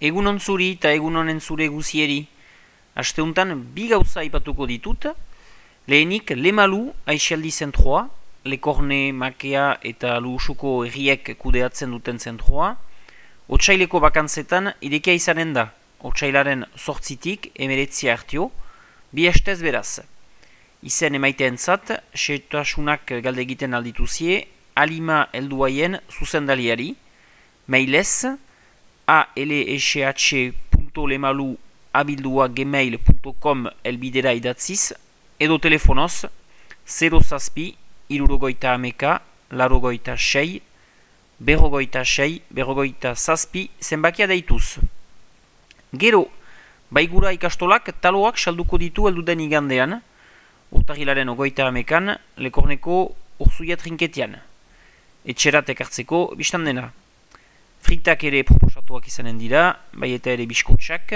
Egunon zuri eta egunonen zure guzieri. Asteuntan bi gauza aipatuko ditut. Lehenik Lemalu aixaldi zentroa, Lekorne, Makea eta Luusuko erriek kudeatzen duten zentroa. Otsaileko bakantzetan irekia izanen da. Otsailaren 8tik 19 hartio, bi hastez beraz. Izen emaiteentzat, setasunak galde egiten aldituzie, Alima helduaien zuzendaliari, mailez, alsh.lemalu@gmail.com elbidera idatziz, edo telefonoz 0 irurogoita ameka, larogoita sei, berrogoita zazpi zenbakia deituz. Gero, baigura ikastolak taloak salduko ditu elduden igandean, urtagilaren 28an, Lekorneko Urzuia trinketian. Etxerat ekartzeko biztan dena. Fritak ere proposatuak izanen dira, bai eta ere biskotxak,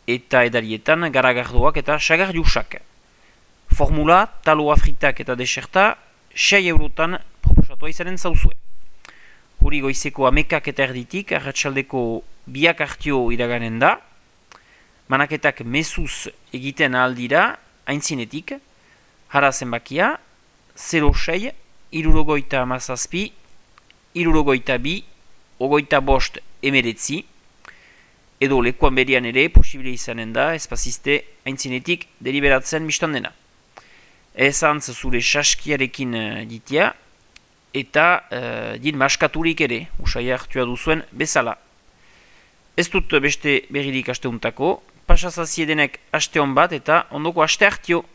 eta edarietan garagardoak eta sagardiusak. Formula, taloa fritak eta deserta, 6 eurotan proposatua izanen zauzue. Huri goizeko amekak eta erditik, arratsaldeko biak hartio iraganen da, manaketak mezuz egiten ahal dira, aintzinetik, hara zenbakia, 06, irurogoita amazazpi, irurogoita bi, ogoita bost emeretzi, edo lekuan berian ere posibile izanen da, espaziste aintzinetik deliberatzen biztan dena. Ezantz zure saskiarekin ditia, eta din maskaturik ere, usai hartua duzuen bezala. Ez dut beste berririk asteuntako, pasazaziedenek aste hon bat eta ondoko aste hartio.